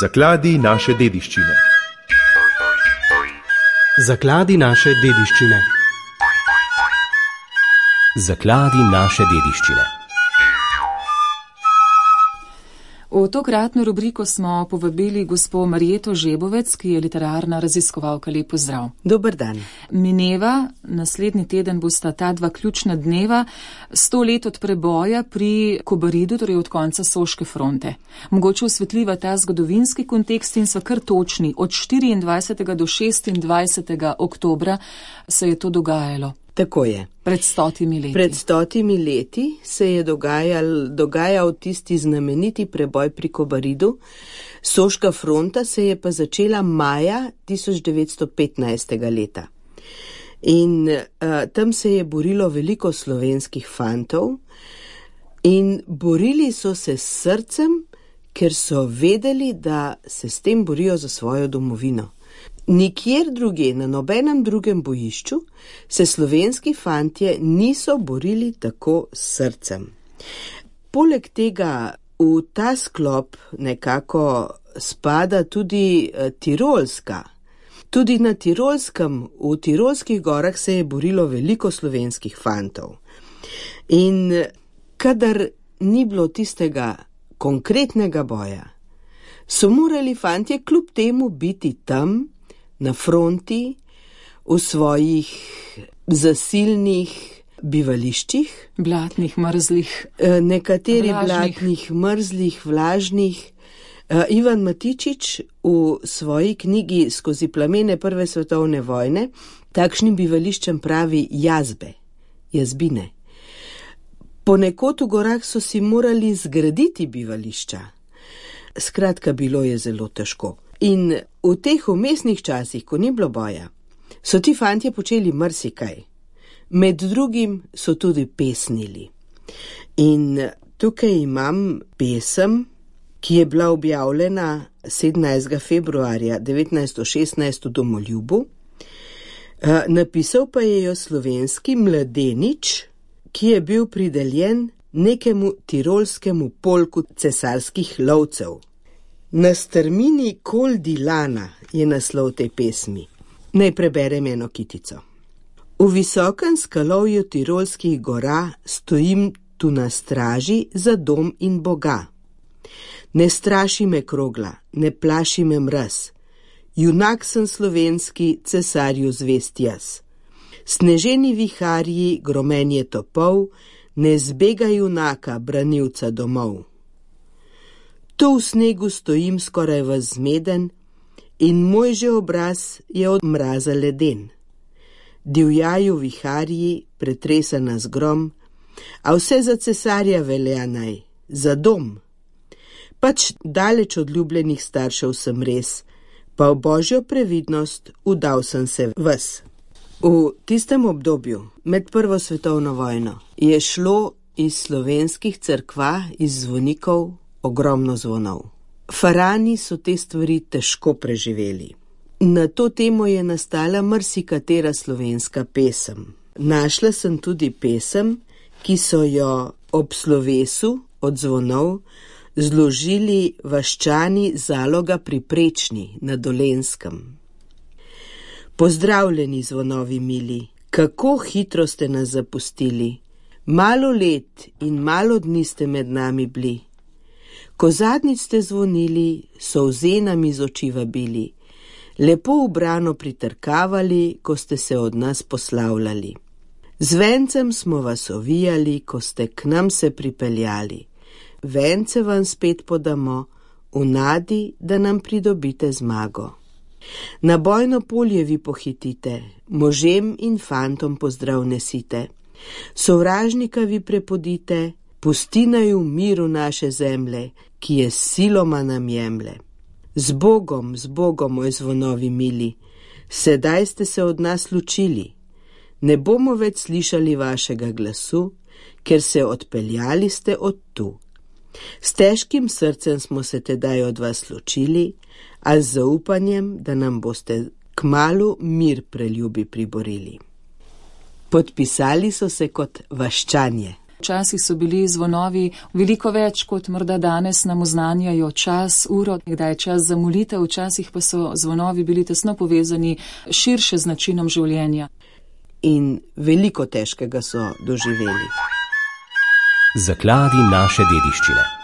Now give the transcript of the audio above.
Zakladi naše dediščine. Zakladi naše dediščine. Zakladi naše dediščine. V tokratno rubriko smo povabili gospo Marjeto Žebovec, ki je literarna raziskovalka. Lep pozdrav. Dober dan. Mineva, naslednji teden bosta ta dva ključna dneva, 100 let od preboja pri Kobaridu, torej od konca Soške fronte. Mogoče osvetliva ta zgodovinski kontekst in sva kar točni. Od 24. do 26. oktobra se je to dogajalo. Tako je. Pred 100 leti. Pred 100 leti se je dogajal tisti znameniti preboj pri Kobaridu. Soška fronta se je pa začela maja 1915. leta. In tam se je borilo veliko slovenskih fantov in borili so se s srcem, ker so vedeli, da se s tem borijo za svojo domovino. Nikjer druge, na nobenem drugem bojišču, se slovenski fantje niso borili tako s srcem. Poleg tega v ta sklop nekako spada tudi Tirolska. Tudi na Tirolskem, v Tirolskih gorah se je borilo veliko slovenskih fantov. In kadar ni bilo tistega konkretnega boja, so morali fantje kljub temu biti tam, na fronti, v svojih zasilnih bivališčih. Blatnih, mrzlih. Nekateri vlažnih. Blatnih, mrzlih, vlažnih. Ivan Matičič v svoji knjigi Skozi plamene Prve svetovne vojne takšnim bivališčem pravi jazbine. Ponekod v gorah so si morali zgraditi bivališča. Skratka, bilo je zelo težko. In v teh vmesnih časih, ko ni bilo boja, so ti fantje počeli marsikaj. Med drugim so tudi pesnili. In tukaj imam pesem, ki je bila objavljena 17. februarja 1916 v Domoljubu. Napisal pa je jo slovenski mladenič, ki je bil prideljen nekemu tirolskemu polku cesarskih lovcev. Na strmini Koldi Lana je naslov te pesmi. Naj preberem eno kitico. V visokem skalovju tirolskih gora stojim tu na straži za dom in Boga. Ne straši me krogla, ne plaši me mraz. Junak sem slovenski, cesarju zvest jaz. Sneženi viharji, gromenje topov, ne zbega junaka, branilca domov. Tu v snegu stojim skoraj zmeden in moj že obraz je od mraza leden. Divjaju viharji, pretresa nas grom, a vse za cesarja velja naj, za dom. Pač daleč od ljubljenih staršev sem res, pa v božjo previdnost udal sem se ves. V tistem obdobju, med Prvo svetovno vojno, je šlo iz slovenskih cerkva, iz zvonikov, ogromno zvonov. Farani so te stvari težko preživeli. Na to temo je nastala marsikatera slovenska pesem. Našla sem tudi pesem, ki so jo ob slovesu od zvonov zložili vaščani Zaloga pri Prečni na Dolenjskem. Pozdravljeni zvonovi mili, kako hitro ste nas zapustili. Malo let in malo dni ste med nami bili. Ko zadnjič ste zvonili, solze nam iz oči vabili, lepo ubrano pritrkavali, ko ste se od nas poslavljali. Z vencem smo vas ovijali, ko ste k nam se pripeljali. Vence vam spet podamo, v nadi, da nam pridobite zmago. Na bojno polje vi pohitite, možem in fantom pozdrav nesite. Sovražnika vi prepodite, pusti naj v miru naše zemlje, ki je siloma nam jemlje. Z Bogom, moj zvonovi mili, sedaj ste se od nas ločili. Ne bomo več slišali vašega glasu, ker se odpeljali ste od tu. S težkim srcem smo se tedaj od vas ločili, a z zaupanjem, da nam boste kmalu mir preljubi priborili. Podpisali so se kot vaščanje. Včasih so bili zvonovi veliko več, kot morda danes nam oznanjajo čas, uro, kdaj je čas za molitev, včasih pa so zvonovi bili tesno povezani širše z načinom življenja. In veliko težkega so doživeli. Zakladi naše dediščine.